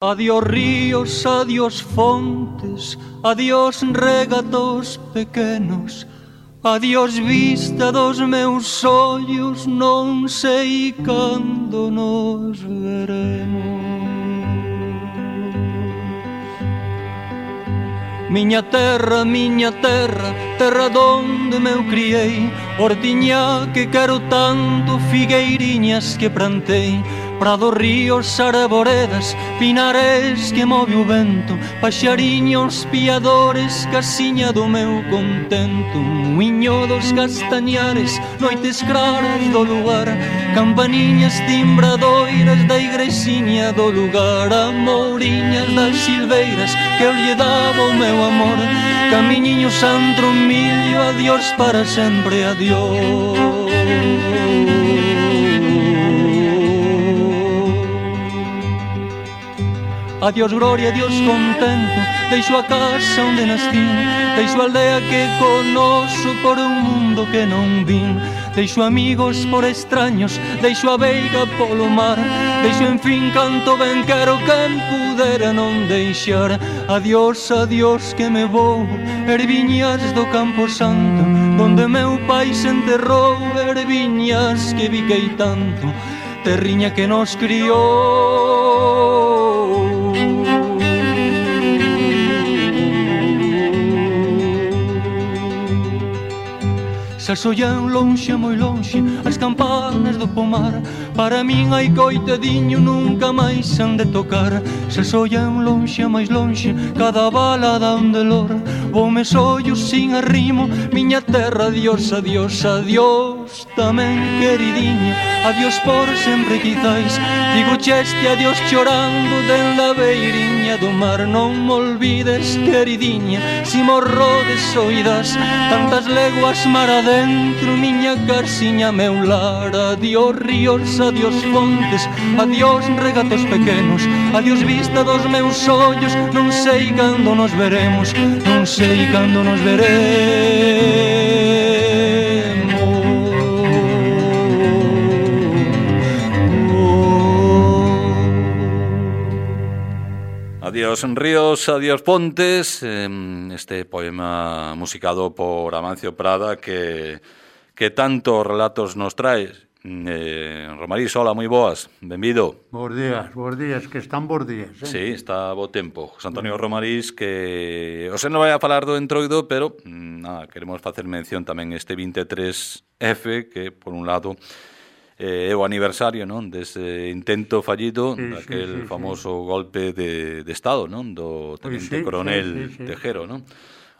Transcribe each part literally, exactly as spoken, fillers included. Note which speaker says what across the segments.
Speaker 1: Adiós ríos, adiós fontes, adiós regatos pequenos, adiós vista dos meus ollos, non sei cando nos veremos. Miña terra, miña terra, terra donde me eu criei, hortiña que quero tanto, figueiriñas que plantei, prados, ríos, arboredas, pinares que move o vento, paxariños, piadores, casiña do meu contento, muiño dos castañares, noites claras do lugar, campaniñas timbradoiras da igrexiña do lugar, amouriñas das silveiras que eu lle daba o meu amor, camiñiño santro millo, adiós para sempre, adiós. Adiós gloria, adiós contento, deixo a casa onde nascí, deixo a aldea que conoso por un mundo que non vin, deixo amigos por extraños, deixo a veiga polo mar, deixo en fin canto ben quero quen pudera non deixar. Adiós, adiós que me vou, erviñas do Campo Santo, donde meu pai se enterrou, erviñas que viquei tanto, terriña que nos criou. Se sollan lonxe, moi lonxe, as campanas do pomar, para min hai coitadiño, nunca máis han de tocar. Se sollan lonxe, máis lonxe, cada bala dá un dolor, voume sollos sin arrimo, miña terra, adiós, adiós, adiós, tamén queridinha, adiós por sempre quizais, digo cheste adiós chorando dende a beiriña do mar, non me olvides, queridinha, si morro de soidas, tantas leguas mar adentro, miña casiña, meu lar. Adiós ríos, adiós fontes, adiós regatos pequenos, adiós vista dos meus ollos, non sei cando nos veremos, non sei cando nos veremos.
Speaker 2: Adiós ríos, adiós pontes, este poema musicado por Amancio Prada que, que tantos relatos nos traes. Eh, Romarís, hola, moi boas, benvido.
Speaker 3: Bos días, bos días, que están bos días, eh?
Speaker 2: Sí, está bo tempo. José Antonio Romarís, que o se non vai a falar do entroido, pero nada, queremos facer mención tamén este veintitrés F, que por un lado eh, é o aniversario, non, dese intento fallido, sí, daquel sí, sí, famoso sí. golpe de, de Estado, non, do teniente sí, coronel sí, sí, sí. Tejero, non?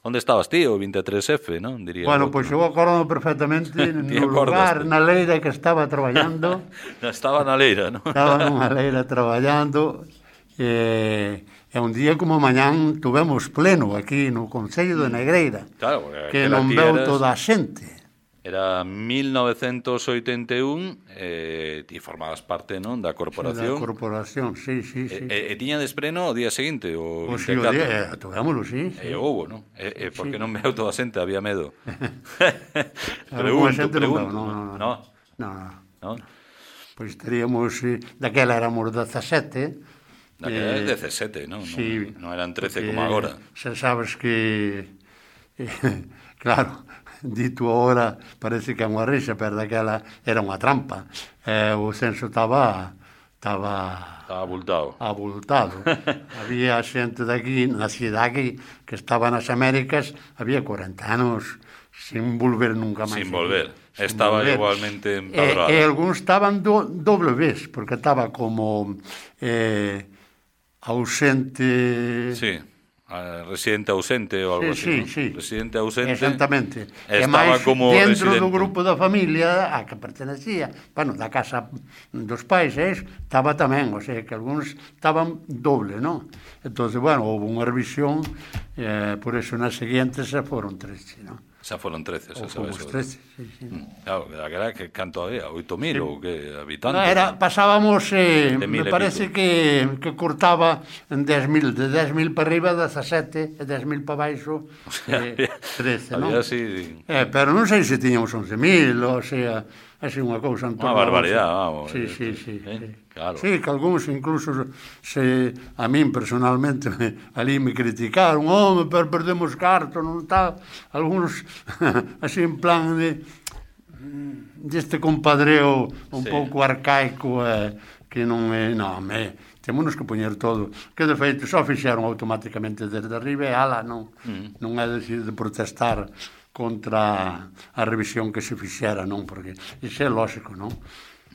Speaker 2: Onde estabas ti, o veintitrés F, non? Diría.
Speaker 3: Bueno, pois pues eu acordo perfectamente no lugar, na leira que estaba traballando.
Speaker 2: Estaba na leira, non?
Speaker 3: Estaba nunha leira traballando, e, e un día como mañán tuvemos pleno aquí no Concello de Negreira,
Speaker 2: claro,
Speaker 3: que non veu eras... toda a xente.
Speaker 2: Era mil novecentos oitenta e un e ti formabas parte, non, da corporación.
Speaker 3: Da corporación, sí, sí, sí.
Speaker 2: E, e, e tiña despreno o día seguinte, o
Speaker 3: veinticuatro? Pues sí, o día, togámoslo, sí.
Speaker 2: E houbo, non? E, e por que sí. non veu toda a xente? Había medo.
Speaker 3: pregunto, pregunto. No, no, no.
Speaker 2: No?
Speaker 3: No,
Speaker 2: no.
Speaker 3: Pois pues teríamos, daquela éramos dezasete.
Speaker 2: Daquela era dezasete, non?
Speaker 3: Sí.
Speaker 2: Non eran trece como agora.
Speaker 3: Xa sabes que, claro, dito agora parece que é unha rixa, pero daquela era unha trampa. Eh, o censo estaba estaba
Speaker 2: estaba abultado.
Speaker 3: abultado. Había xente daqui na cidade que estaba nas Américas, había corenta anos sin volver nunca máis.
Speaker 2: Sin volver. Sin estaba volver. Igualmente empadroado.
Speaker 3: E, e algúns estaban do, doble vez, porque estaba como eh, ausente...
Speaker 2: Sí. Residente ausente ou algo
Speaker 3: sí,
Speaker 2: así,
Speaker 3: sí,
Speaker 2: ¿no? Sí. Residente ausente.
Speaker 3: Exactamente.
Speaker 2: Estaba
Speaker 3: máis,
Speaker 2: como
Speaker 3: dentro
Speaker 2: residente.
Speaker 3: do grupo da familia a que pertenecía, bueno, da casa dos pais, eh, estaba tamén, o sea, que algúns estaban doble, non? Entonces, bueno, houve unha revisión, eh, por eso nas seguintes xa foron trece, non?
Speaker 2: Xa foron trece, xa sabes.
Speaker 3: trece, sí, sí.
Speaker 2: Mm, claro, era que canto había, oito mil sí. ou que habitantes.
Speaker 3: No, era, pasábamos, eh, me parece que, que cortaba en dez mil, de dez mil para arriba, dezasete, e dez mil para baixo, o sea, eh, trece, non?
Speaker 2: Había así...
Speaker 3: Eh, pero non sei se tiñamos once mil, ou sea, así unha cousa en torno.
Speaker 2: Unha barbaridade, vamos.
Speaker 3: Sí, sí, sí.
Speaker 2: Eh?
Speaker 3: sí.
Speaker 2: Claro.
Speaker 3: Sí, que algúns incluso se a min personalmente me, ali me criticaron, home, pero perdemos carto, non tal, algúns así en plan de deste compadreo un sí. pouco arcaico eh, que non é, non, me, temos que poñer todo, que de feito só fixeron automáticamente desde arriba e ala, non, mm. non é decir de protestar contra a revisión que se fixera, non, porque iso é lógico, non?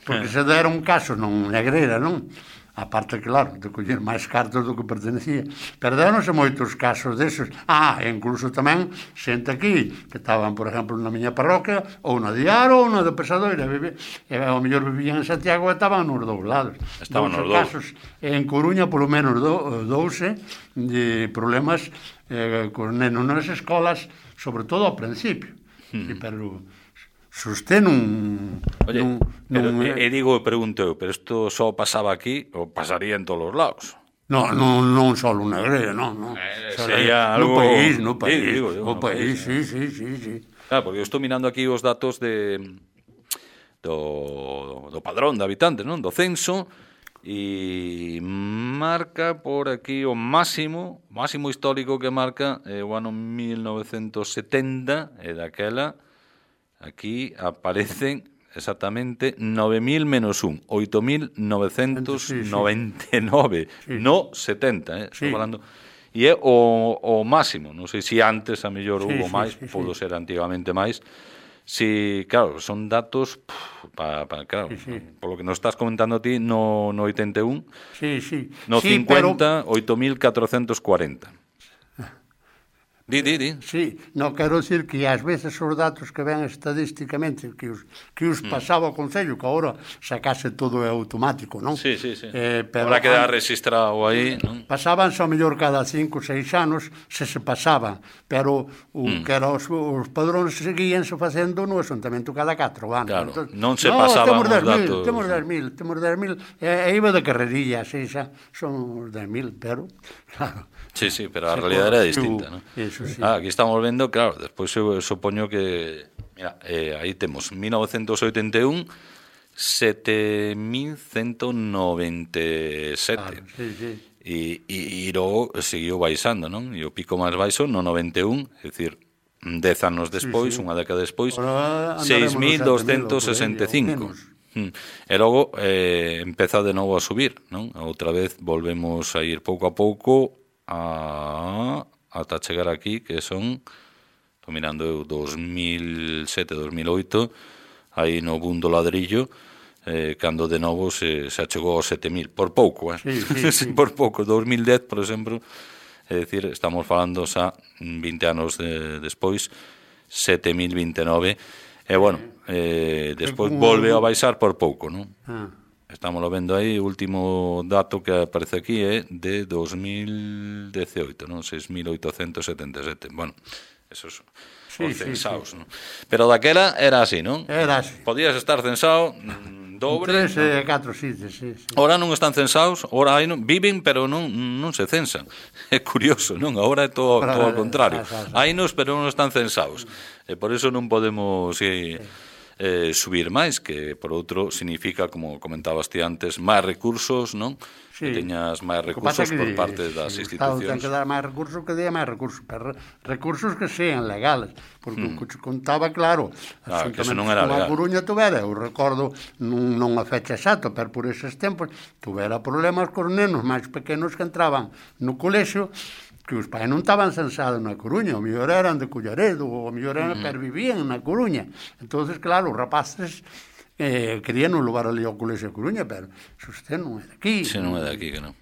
Speaker 3: Porque se dera un caso non Negreira, non? A parte, claro, de coller máis cartos do que pertenecía. Perderonse moitos casos desos. Ah, e incluso tamén xente aquí, que estaban, por exemplo, na miña parroquia, ou na Diaro, ou na de Pesadoira, e ao mellor vivían en Santiago e estaban nos dous lados.
Speaker 2: Estaban nos dous.
Speaker 3: Casos en Coruña, polo menos, do, douse de problemas eh, con nenos nas escolas, sobre todo ao principio. Hmm. E, pero Susté nun...
Speaker 2: Oye,
Speaker 3: nun,
Speaker 2: pero,
Speaker 3: nun,
Speaker 2: e, e digo, pregunto, pero isto só pasaba aquí ou pasaría en todos os lados?
Speaker 3: No, non, non só unha Negreira, non, non.
Speaker 2: Eh, sería algo...
Speaker 3: No país, no país,
Speaker 2: sí, digo,
Speaker 3: no
Speaker 2: digo, no
Speaker 3: país,
Speaker 2: país,
Speaker 3: sí, sí, sí, sí.
Speaker 2: Claro, porque eu estou mirando aquí os datos de do, do padrón de habitantes, non? Do censo, e marca por aquí o máximo, máximo histórico que marca é o ano mil novecentos setenta, e daquela... Aquí aparecen exactamente nove mil menos un, oito mil novecentos noventa e nove, sí, sí. No setenta, eh, sí. Estou falando. E é o, o máximo, non sei se antes a mellor sí, hubo sí, máis, sí, podo sí. Ser antigamente máis. Si, claro, son datos para, pa, claro, sí, sí. Polo que nos estás comentando ti no, no oitenta e un,
Speaker 3: sí, sí.
Speaker 2: No
Speaker 3: sí,
Speaker 2: cincuenta,
Speaker 3: pero...
Speaker 2: oito mil catrocentos cuarenta. Di, di, di.
Speaker 3: Sí, non quero dicir que ás veces os datos que ven estadísticamente que os, que os pasaba ao Concello, que agora sacase todo é automático, non?
Speaker 2: Sí, sí, sí.
Speaker 3: Eh, pero
Speaker 2: ahora queda registrado aí, non?
Speaker 3: Pasaban só mellor cada cinco, seis anos se se pasaban, pero o mm. que era os, os padróns seguíanse facendo no asuntamento cada catro anos.
Speaker 2: Claro,
Speaker 3: Entonces,
Speaker 2: non se
Speaker 3: no,
Speaker 2: pasaban os
Speaker 3: datos.
Speaker 2: datos.
Speaker 3: Temos dez mil, temos dez mil, e, e iba de carrerilla, así xa, son os dez mil, pero, claro.
Speaker 2: Sí, sí, pero a realidade era distinta, non?
Speaker 3: Eso, sí.
Speaker 2: Ah, aquí estamos vendo, claro, despois eu supoño que, mira, eh, aí temos mil novecentos oitenta e un, sete mil ciento noventa e sete.
Speaker 3: Claro, sí, sí.
Speaker 2: E, e, e logo seguiu baixando, non? E o pico máis baixo no noventa e un, é dicir, dez anos despois, sí, sí. Unha década despois, seis mil doscientos sesenta e cinco. E logo eh, empeza de novo a subir, non? Outra vez volvemos a ir pouco a pouco a... ata chegar aquí, que son, estou mirando eu, dos mil sete, dos mil oito, aí no boom do ladrillo, eh, cando de novo se, se achegou aos sete mil, por pouco, eh?
Speaker 3: Sí, sí, sí.
Speaker 2: Por pouco, dos mil dez, por exemplo, é dicir, estamos falando xa vinte anos de, despois, sete mil vinte e nove, e bueno, eh, despois volve a baixar por pouco, non? Ah. Estamos lo vendo aí, o último dato que aparece aquí é de dos mil dezaoito, non? seis mil oitocentos setenta e sete. Bueno, esos sí, os censados, sí, sí. Non? Pero daquela era así, non?
Speaker 3: Era así.
Speaker 2: Podías estar censado mm, dobre.
Speaker 3: Tres e eh, catro sitios, sí, sí.
Speaker 2: Ora non están censados, ora aí non, viven, pero non, non se censan. É curioso, non? Agora é todo, todo ao contrario. Hai nos, pero non están censados. E por eso non podemos... Eh, sí. Eh, subir máis, que por outro significa, como comentabas ti antes, máis recursos, non? Sí. Que teñas máis recursos que, por parte das
Speaker 3: sí,
Speaker 2: institucións.
Speaker 3: Ten que dar máis recursos, que dea máis recursos, pero recursos que sean legales, porque mm. o que contaba, claro,
Speaker 2: ah, que eso non era legal.
Speaker 3: A Coruña tuvera, eu recordo, non, non a fecha exacta, pero por eses tempos, tuvera problemas cos nenos máis pequenos que entraban no colexio, que os pais non estaban censados na Coruña, o mellor eran de Collaredo, o mellor eran, mm. pero vivían na Coruña. Entonces, claro, os rapaces eh, querían non levar ali ao colexio a Coruña, pero se usted non é de aquí.
Speaker 2: Se non é de aquí, que non.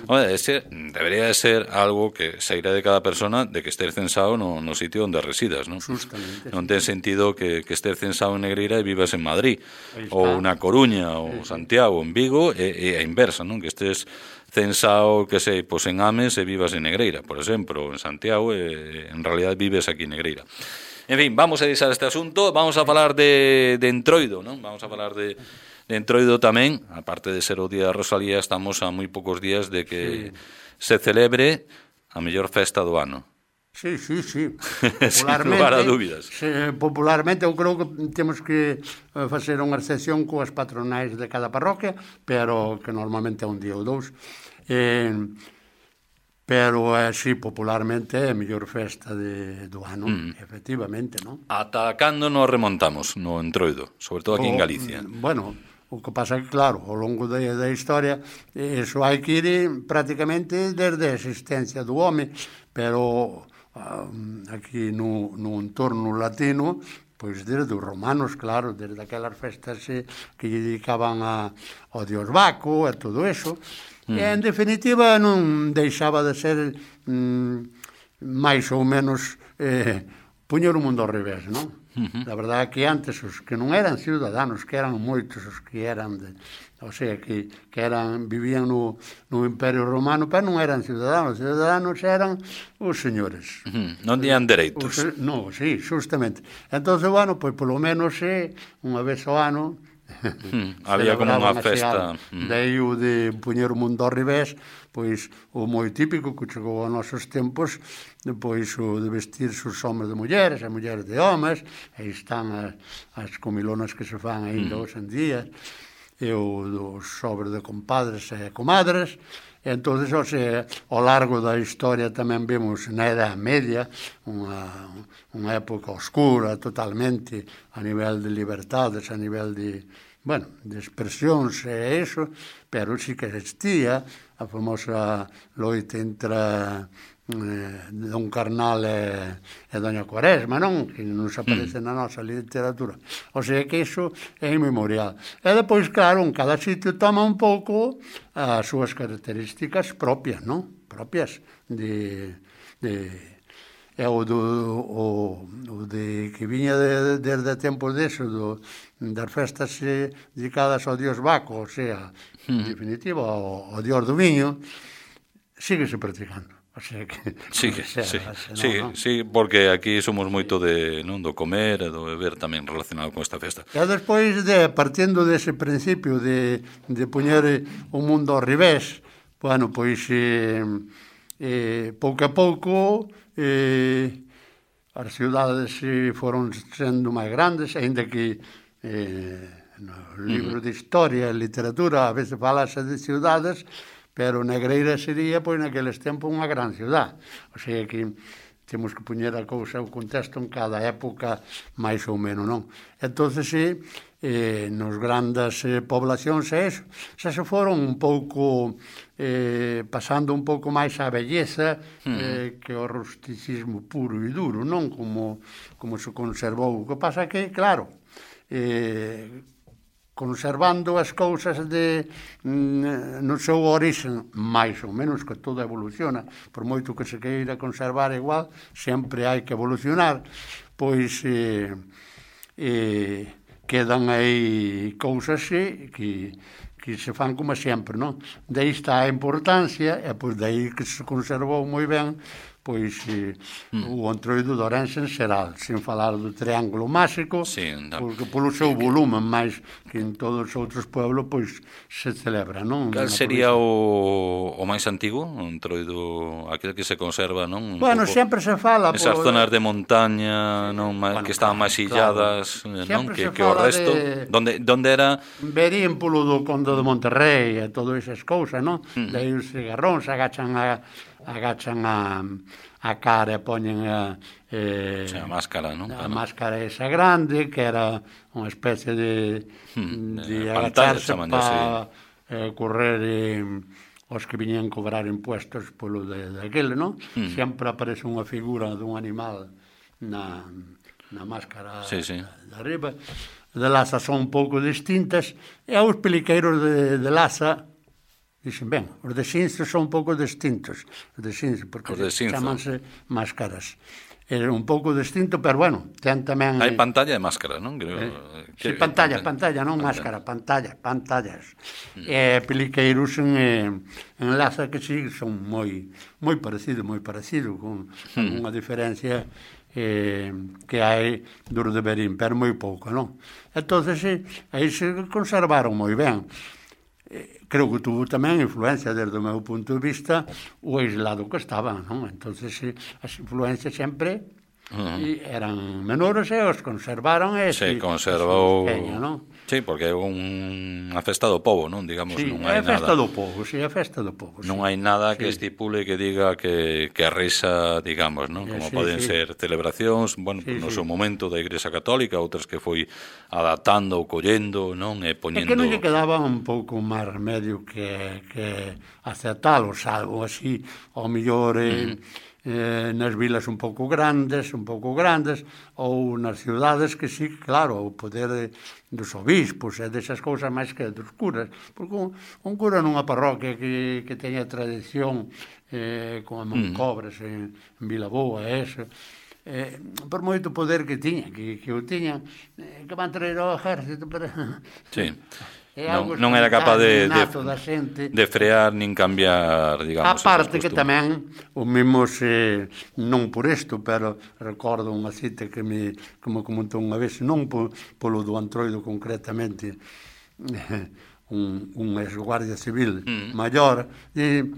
Speaker 2: Oye, ese debería de ser algo que sairá de cada persona de que estés censado no, no sitio onde residas, non?
Speaker 3: Justamente.
Speaker 2: Non ten sentido que, que estés censado en Negreira e vivas en Madrid, ou na Coruña, ou sí, Santiago, en Vigo, e, e a inversa, non? Que estés censado, que sei, pois en Ames e vivas en Negreira, por exemplo, ou en Santiago, e en realidad vives aquí en Negreira. En fin, vamos a deixar este asunto, vamos a falar de, de Entroido, non? Vamos a falar de... De Entroido tamén, aparte de ser o Día da Rosalía, estamos a moi poucos días de que sí. se celebre a mellor festa do ano.
Speaker 3: Sí, sí, sí.
Speaker 2: Sin lugar a dúbidas.
Speaker 3: Se, popularmente, eu creo que temos que facer unha excepción coas patronais de cada parroquia, pero que normalmente é un día ou dous. Eh, pero, eh, sí, popularmente é a mellor festa de, do ano, mm. efectivamente, non?
Speaker 2: Ata cando nos remontamos no Entroido, sobre todo aquí o, en Galicia?
Speaker 3: Bueno, o que pasa é que, claro, ao longo da, da historia, iso hai que ir prácticamente desde a existencia do home, pero aquí no, no entorno latino, pois desde os romanos, claro, desde aquelas festas que lle dedicaban a, ao dios Baco e todo eso, mm. e en definitiva non deixaba de ser mm, máis ou menos eh, puñer o mundo ao revés, non? Uh-huh. A verdade é que antes os que non eran ciudadanos, que eran moitos os que eran de, o sea, que, que eran vivían no, no Imperio Romano, pero non eran ciudadanos, ciudadanos eran os señores.
Speaker 2: Uh-huh. Non tiñan dereitos.
Speaker 3: Os, no, sí, justamente. Entonces, bueno, pois polo menos é unha vez ao ano
Speaker 2: Hmm, había como unha festa.
Speaker 3: Hmm. Daí o de puñer o mundo ao revés, pois o moi típico que chegou aos nosos tempos, pois o de vestirse os homes de mulleres, as mulleres de homes, aí están as, as comilonas que se fan ainda hmm. hoxe en día, e o dos sobres de compadres e comadres. E entón, o sea, ao largo da historia tamén vemos na Edad Media unha, unha época oscura totalmente a nivel de libertades, a nivel de, bueno, de expresións e eso, pero sí que existía a famosa loita entre eh, Don Carnal e, e Doña Quaresma, non? Que non se aparece mm. na nosa literatura. O sea que iso é inmemorial. E depois, claro, en cada sitio toma un pouco as súas características propias, non? Propias de... de e o, do, o, o de que viña de, desde tempos deso, do, das festas eh, dedicadas ao dios Baco, o sea, mm. en definitiva, ao, ao dios do viño, síguese practicando. O sea que,
Speaker 2: sí, sea, sí, no, sí, no. sí, porque aquí somos moito de, non, do comer e do beber tamén relacionado con esta festa.
Speaker 3: E despois, de, partindo dese principio de, de poñer o mundo ao revés, bueno, pois eh, eh, pouco a pouco eh, as ciudades eh, foron sendo máis grandes, ainda que eh, no libro de historia e literatura a veces falase de ciudades, pero Negreira sería, pois, naqueles tempos unha gran ciudad. O sea que temos que poñer a cousa, o contexto en cada época máis ou menos, non? Entón, sí, eh, nos grandes eh, poblacións e eso, xa se foron un pouco eh, pasando un pouco máis a belleza eh, que o rusticismo puro e duro, non? Como, como se conservou. O que pasa que, claro, eh, conservando as cousas de, no seu orixen, máis ou menos, que todo evoluciona, por moito que se queira conservar igual, sempre hai que evolucionar, pois eh, eh, quedan aí cousas eh, que, que se fan como sempre, non? Daí está a importancia, e pois daí que se conservou moi ben, pois eh, mm. o Entroido de Ourense en xeral, sen falar do Triángulo Máxico, sí, no. porque polo seu volumen máis que en todos os outros pueblos, pois se celebra, non?
Speaker 2: Cal sería o, o máis antigo, o Entroido, aquel que se conserva, non? Un
Speaker 3: bueno, pouco, sempre se fala...
Speaker 2: Esas por... zonas de montaña, non, bueno, que estaban máis illadas, claro. non? Que, que o resto... De... Donde, donde era...
Speaker 3: Verían polo do Conde de Monterrey e todo esas cousas, non? Mm. Daí os cigarróns agachan a... agachan a, a cara e poñen a, eh,
Speaker 2: sí, a máscara, non?
Speaker 3: A máscara esa grande, que era unha especie de, hmm, de, de agacharse para eh, correr eh, os que viñan cobrar impuestos polo de, de aquele, non? Hmm. Sempre aparece unha figura dun animal na, na máscara sí, sí. de arriba. De Laza son un pouco distintas, e aos peliqueiros de, de Laza dixen, ben, os de Xinzo son un pouco distintos, os de Xinzo, porque chamanse máscaras. É un pouco distinto, pero bueno, ten tamén...
Speaker 2: Hai pantalla e máscara, non? Creo,
Speaker 3: eh, que, sí, pantalla, pantalla, non máscara, pantalla, pantallas. Mm. E peliqueiros en, en Laza que sí, son moi moi parecido, moi parecido, con mm. unha diferencia eh, que hai dos de Berín, pero moi pouco, non? Entón, sí, aí se conservaron moi ben. eh, creo que tuvo tamén influencia desde o meu punto de vista o aislado que estaban, non? Entonces eh, as influencias sempre uh-huh. eran menores e os conservaron e
Speaker 2: se
Speaker 3: si,
Speaker 2: conservou
Speaker 3: pequeña, non?
Speaker 2: Sí, porque é unha festa do pobo, non? Digamos,
Speaker 3: sí,
Speaker 2: non hai
Speaker 3: é a festa
Speaker 2: nada.
Speaker 3: do pobo, sí, é a festa do pobo.
Speaker 2: Non
Speaker 3: sí.
Speaker 2: hai nada
Speaker 3: sí.
Speaker 2: que estipule que diga que, que a risa, digamos, non? Como
Speaker 3: sí,
Speaker 2: poden
Speaker 3: sí.
Speaker 2: ser celebracións, bueno,
Speaker 3: sí,
Speaker 2: no
Speaker 3: sí.
Speaker 2: seu momento da Igrexa Católica, outras que foi adaptando ou collendo, non? E poñendo...
Speaker 3: É que non lle quedaba un pouco máis remedio que, que aceptalo, salvo así, ao mellor... Eh, uh-huh. Eh, nas vilas un pouco grandes, un pouco grandes, ou nas ciudades que sí, claro, o poder de, dos obispos e desas cousas máis que dos curas, porque un, un cura nunha parroquia que, que teña tradición eh, como Moncobres en, en Vilaboa e eso, eh, por moito poder que tiña, que, que o tiña, eh, que van traer ao exército para...
Speaker 2: Sí.
Speaker 3: Non,
Speaker 2: non era capaz de,
Speaker 3: de,
Speaker 2: de frear nin cambiar, digamos,
Speaker 3: a parte que tamén o mesmo se, non por isto, pero recordo unha cita que me, que me comentou unha vez, non po, polo do Antroido concretamente, un, un ex-guardia civil mm. maior, e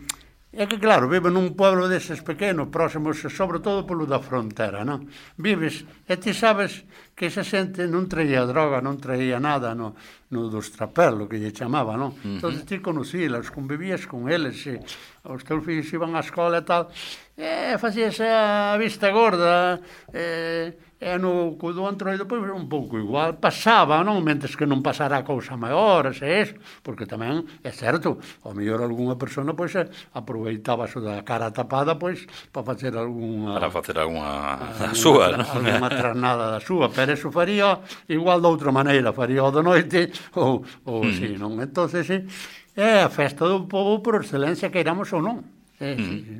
Speaker 3: é que claro, vive nun pueblo deses pequenos, próximos, sobre todo polo da frontera, non? Vives, e ti sabes que esa xente non traía droga, non traía nada no, no dos trapelos, que lle chamaba, non? Uh-huh. Entón ti conocílas, convivías con eles, e os teus fillos iban á escola e tal, e facías a vista gorda, e, e no do Antroido, pois, un pouco igual, pasaba, non? Mentes que non pasara a cousa maiores, e eso, porque tamén, é certo, ao mellor algunha persona, pois, aproveitaba o da cara tapada, pois, para facer algunha...
Speaker 2: Para facer algunha a súa, non?
Speaker 3: Algunha trasnada da súa, pero eso faría igual de outra maneira, faría o de noite, ou, ou mm. así, non? Entón, sí, é a festa do povo por excelencia, que iramos ou non. Sí, mm. sí, sí,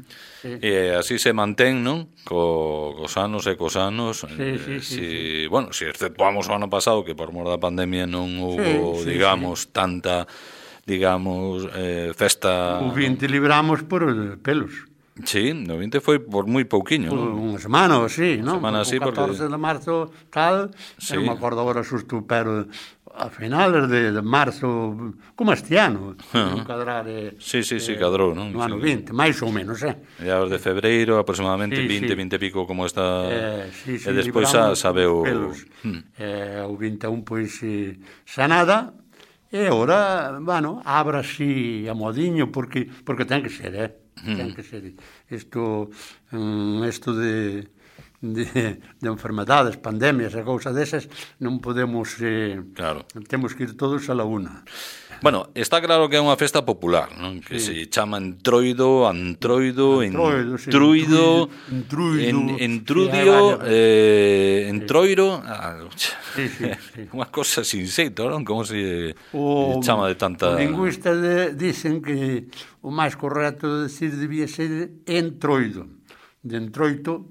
Speaker 3: sí.
Speaker 2: E así se mantén, non? Co, cos anos e cos anos.
Speaker 3: Sí, sí, sí,
Speaker 2: si,
Speaker 3: sí.
Speaker 2: Bueno, se si exceptuamos o ano pasado, que por mor da pandemia non houve, sí, sí, digamos, sí. tanta, digamos, eh, festa...
Speaker 3: O vinte libramos por pelos.
Speaker 2: Sí, no vinte foi por moi pouquiño, non?
Speaker 3: Unha semana ou así, non?
Speaker 2: Semana así,
Speaker 3: o catorce
Speaker 2: porque...
Speaker 3: de marzo tal, sí. Non me acordo agora xusto, pero a finales de, de marzo, como este ano, uh-huh. cadrar... Eh,
Speaker 2: sí, sí, sí,
Speaker 3: eh,
Speaker 2: cadrou, non?
Speaker 3: No ano
Speaker 2: sí.
Speaker 3: vinte, máis ou menos, eh?
Speaker 2: Ya os de febreiro, aproximadamente sí, vinte, sí. vinte e pico como está...
Speaker 3: Eh, sí, sí,
Speaker 2: e despois xa sabeu...
Speaker 3: Hmm. Eh, o vinte e un, pois, eh, xa nada, e ora, bueno, abra así a modiño, porque, porque ten que ser, eh? Ten que ser isto, um, isto de, de, de enfermedades, pandemias e cousas desas, non podemos, eh,
Speaker 2: claro.
Speaker 3: Temos que ir todos a la una.
Speaker 2: Bueno, está claro que é unha festa popular, non? Que sí. se chama Entroido, Antroido,
Speaker 3: Entroido, sí,
Speaker 2: Entruido,
Speaker 3: Entruido,
Speaker 2: en, Entrudio,
Speaker 3: sí,
Speaker 2: eh, Entroiro, ah,
Speaker 3: sí, sí, sí.
Speaker 2: unha cosa sin xeito, non? Como se
Speaker 3: o,
Speaker 2: chama de tanta...
Speaker 3: Os lingüistas de, dicen que o máis correcto de decir debía ser Entroido, de Entroito,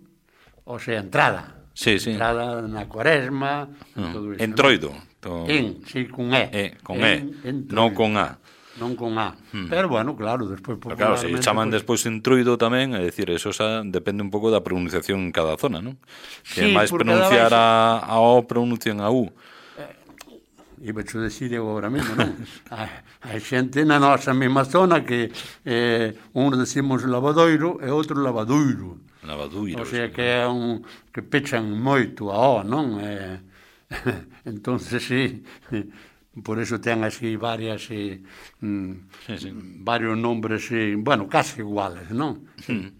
Speaker 3: o sea, entrada.
Speaker 2: Sí, sí.
Speaker 3: Entrada na Cuaresma,
Speaker 2: uh,
Speaker 3: todo iso.
Speaker 2: Entroido.
Speaker 3: ¿no? En, sí, con E.
Speaker 2: E, con en, E, non con A.
Speaker 3: Non con A. Hmm. Pero, bueno, claro, despois...
Speaker 2: Claro, se chaman pues... despois Entruido tamén, é dicir, eso xa depende un pouco da pronunciación en cada zona, non? Que sí, máis pronunciar a, a O pronuncian a U.
Speaker 3: Eh, iba a decir eu agora mesmo, non? Hai xente na nosa mesma zona que eh, un decimos lavadoiro e outro lavadoiro.
Speaker 2: Lavadoiro.
Speaker 3: O sea, sí. Que é un... que pechan moito a O, non? Eh... entonces sí, por eso ten así varias eh,
Speaker 2: sí, sí.
Speaker 3: varios nombres eh, bueno, casi iguales, non? Sí.
Speaker 2: Mm.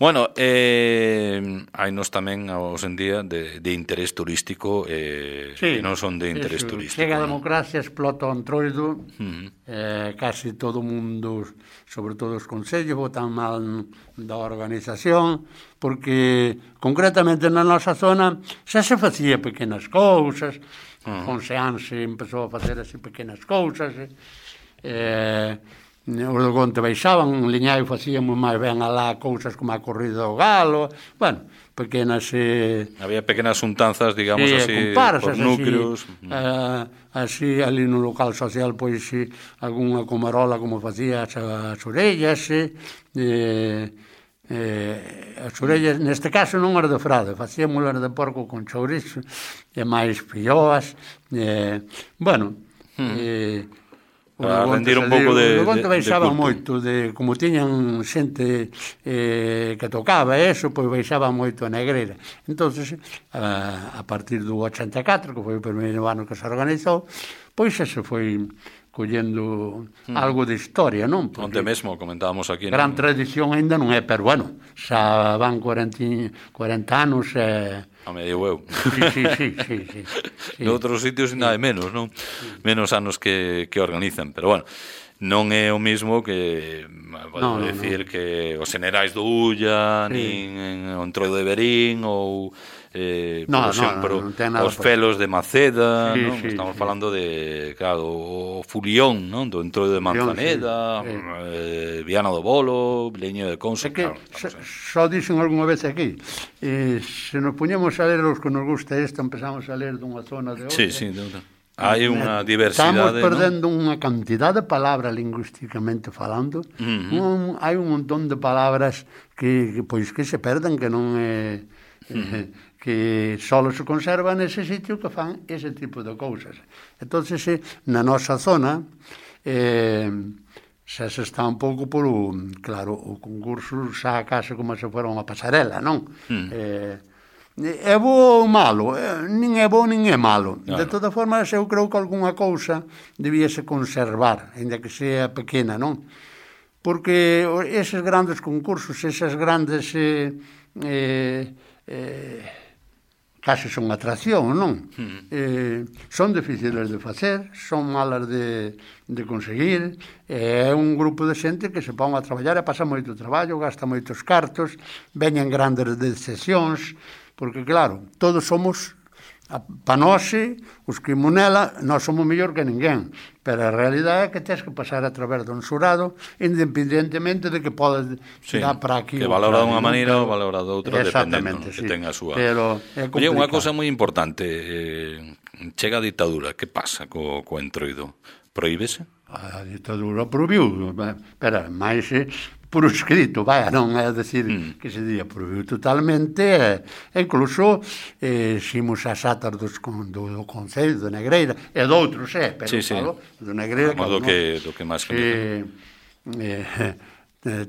Speaker 2: Bueno, eh, hai nos tamén hoxe en día de, de interés turístico eh,
Speaker 3: sí,
Speaker 2: que non son de interés
Speaker 3: eso,
Speaker 2: turístico.
Speaker 3: Chega a
Speaker 2: ¿no?
Speaker 3: democracia, explota o Antroido,
Speaker 2: uh-huh.
Speaker 3: eh, casi todo o mundo, sobre todo os concellos, votan mal da organización, porque concretamente na nosa zona xa se facía pequenas cousas, uh-huh. con Seanse empezou a facer así pequenas cousas, eh, eh os do Conte baixaban, en Liñaio facíamos máis ben alá cousas como a corrida do galo, bueno, pequenas... Eh,
Speaker 2: había pequenas untanzas, digamos,
Speaker 3: sí,
Speaker 2: así,
Speaker 3: comparsas,
Speaker 2: por núcleos.
Speaker 3: Así, eh, así, ali no local social, pois, sí, algunha comarola como facía as, as orellas, eh, eh, as orellas, neste caso non era de frade, facíamos de porco con chourizo, e máis filloas, eh, bueno, hmm. eh,
Speaker 2: para rendir un pouco de,
Speaker 3: de, de, de baixaba
Speaker 2: culto.
Speaker 3: moito, de, como tiñan xente eh, que tocaba eso, pois baixaba moito a negreira. Entonces, a, a partir do ochenta e catro, que foi o primeiro ano que se organizou, pois se foi collendo hmm. algo de historia, non?
Speaker 2: Porque onte mesmo comentábamos aquí.
Speaker 3: Gran
Speaker 2: non?
Speaker 3: tradición ainda non é, pero bueno, xa van corenta anos e...
Speaker 2: A medio eu.
Speaker 3: Sí, sí, sí, sí, sí, sí.
Speaker 2: Noutros sitios ainda hai menos, non? Sí. Menos anos que, que organizan, pero bueno, non é o mismo que, podemos no, no, decir, no. que os generais do Ulla, sí. nin o Entroido de Verín, ou, eh,
Speaker 3: no,
Speaker 2: por exemplo,
Speaker 3: no, no, no os
Speaker 2: felos de Maceda,
Speaker 3: sí,
Speaker 2: non?
Speaker 3: Sí,
Speaker 2: Estamos
Speaker 3: sí.
Speaker 2: falando de, claro, o Fulión, non? Do Entroido de Manzaneda, sí, sí. Eh, Viana do Bolo, Leño de Conso.
Speaker 3: É que,
Speaker 2: claro,
Speaker 3: só dixen algunha vez aquí, eh, se nos puñemos a ler os que nos gusta isto, empezamos a ler dunha zona de outra.
Speaker 2: Sí, sí, de outra. Hai unha diversidade,
Speaker 3: estamos perdendo ¿no? unha cantidad de palabras lingüísticamente falando. Uh-huh. un, hai un montón de palabras que, que pois que se perden, que non é uh-huh. que só se conserva nese sitio que fan ese tipo de cousas. Entonces, na nosa zona eh, xa se está un pouco por o, claro, o concurso xa case como se fora unha pasarela, non? Uh-huh. Eh, é bo ou malo, nin é bo nin é malo. Claro. De todas formas, eu creo que algunha cousa debíase conservar, ainda que sea pequena, non? Porque eses grandes concursos, esas grandes eh, eh, eh, case son atracción, non? Mm. Eh, son difíciles de facer, son malas de, de conseguir, é un grupo de xente que se pon a traballar e pasa moito traballo, gasta moitos cartos, veñen grandes decepcións, porque claro, todos somos, pa nós, os que monela, nós somos mellor que ninguén, pero a realidade é que tens que pasar a través dun xurado, independentemente de que podes tirar sí, para aquí.
Speaker 2: Que valora de unha maneira ou valora de outra, dependendo, sí, que ten a súa.
Speaker 3: Pero é complicado.
Speaker 2: Oye, unha cousa moi importante, eh, chega a ditadura, que pasa co, co Entroido? Prohíbese?
Speaker 3: A ditadura prohibiu, pero máis... por escrito, vaya, non é decir mm. que se día prohibiu totalmente, e incluso eh, ximos as atas dos, do, do Concello de Negreira, e doutros, eh, pero
Speaker 2: sí, sí.
Speaker 3: falo, do Negreira,
Speaker 2: claro, do, que, do que máis
Speaker 3: eh, eh,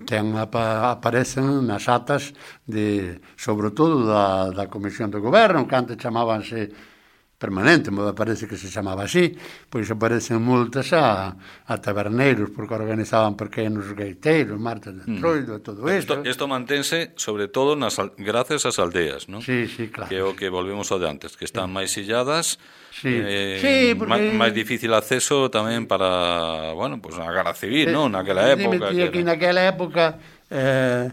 Speaker 3: ten, aparecen nas atas de, sobre todo da, da Comisión de Goberno, que antes chamábanse permanente, me parece que se chamaba así, pois aparecen multas a, a taberneiros, porque organizaban pequenos gaiteiros, martes de Entroido, mm. e todo isto.
Speaker 2: Isto mantense, sobre todo, nas, gracias ás aldeas, non?
Speaker 3: Sí, sí, claro.
Speaker 2: Que é o que volvemos ao de antes, que están sí. máis illadas,
Speaker 3: sí.
Speaker 2: Eh,
Speaker 3: sí, porque...
Speaker 2: máis difícil acceso tamén para, bueno, pues a Guerra Civil, non? Naquela época.
Speaker 3: Que aquí naquela época... Eh,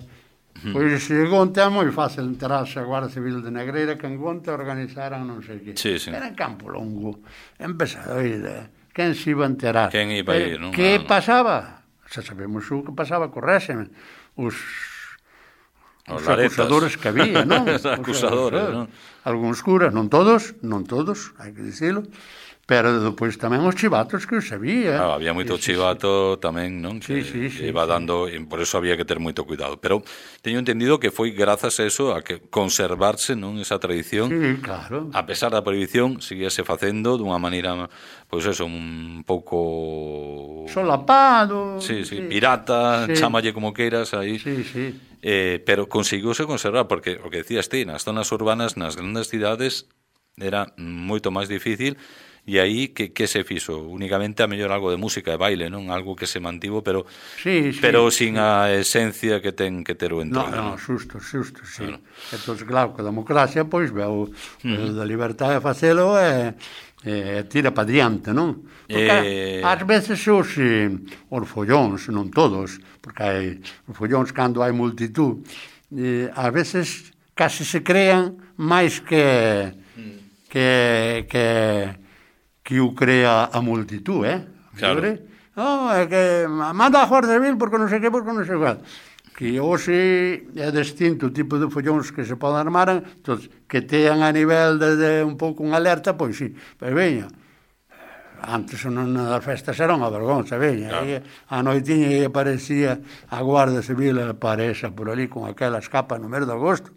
Speaker 3: pois se Gonte é moi fácil enterarse a Guardia Civil de Negreira, que en Gonte organizaran non sei que.
Speaker 2: Sí, sí.
Speaker 3: Era en Campo Longo. Empezado a ir, quen se iba a enterar?
Speaker 2: Quen iba a ir, non?
Speaker 3: Que
Speaker 2: ah,
Speaker 3: pasaba? Xa sabemos o que pasaba co réxime. Os, os, os acusadores que había, non?
Speaker 2: Os acusadores, non?
Speaker 3: Algúns curas, non todos, non todos, hai que dicilo. Pero depois tamén os chivatos que os sabía.
Speaker 2: Claro, había moito sí, chivato sí. tamén, non?
Speaker 3: Sí, sí, sí.
Speaker 2: Iba sí. dando, e por eso había que ter moito cuidado. Pero teño entendido que foi grazas a eso, a que conservarse, non, esa tradición.
Speaker 3: Sí, claro.
Speaker 2: A pesar da prohibición, seguíase facendo dunha maneira, pois eso, un pouco...
Speaker 3: solapado.
Speaker 2: Sí, sí, sí. pirata, sí. chámalle como queiras aí.
Speaker 3: Sí, sí.
Speaker 2: Eh, pero conseguiuse conservar, porque o que decías ti, nas zonas urbanas, nas grandes cidades, era moito máis difícil. E aí, que, que se fixo? Únicamente a mellor algo de música e baile, non? Algo que se mantivo, pero
Speaker 3: sí, sí,
Speaker 2: pero sin
Speaker 3: sí.
Speaker 2: a esencia que ten que ter o Entroido.
Speaker 3: No, no, xusto, xusto, sí. Bueno. Entón, claro, que a democracia, pois, veo uh-huh. da libertade de facelo e eh, tira pa diante, non? Porque eh... ás veces os, eh, os follóns, non todos, porque hai os follóns cando hai multitud, eh, ás veces casi se crean máis que que que que o crea a multitud, eh?
Speaker 2: Claro.
Speaker 3: No, é que manda a Guardia Civil porque non sei que, porque non sei qual. Que hoxe é distinto o tipo de follóns que se poden armar, entón, que tean a nivel de, de un pouco unha alerta, pois sí, pero veña, antes non das festas era unha vergonza, veña, claro. E a noitiña e aparecía a Guardia Civil aparexa por ali con aquelas capas no mes de agosto,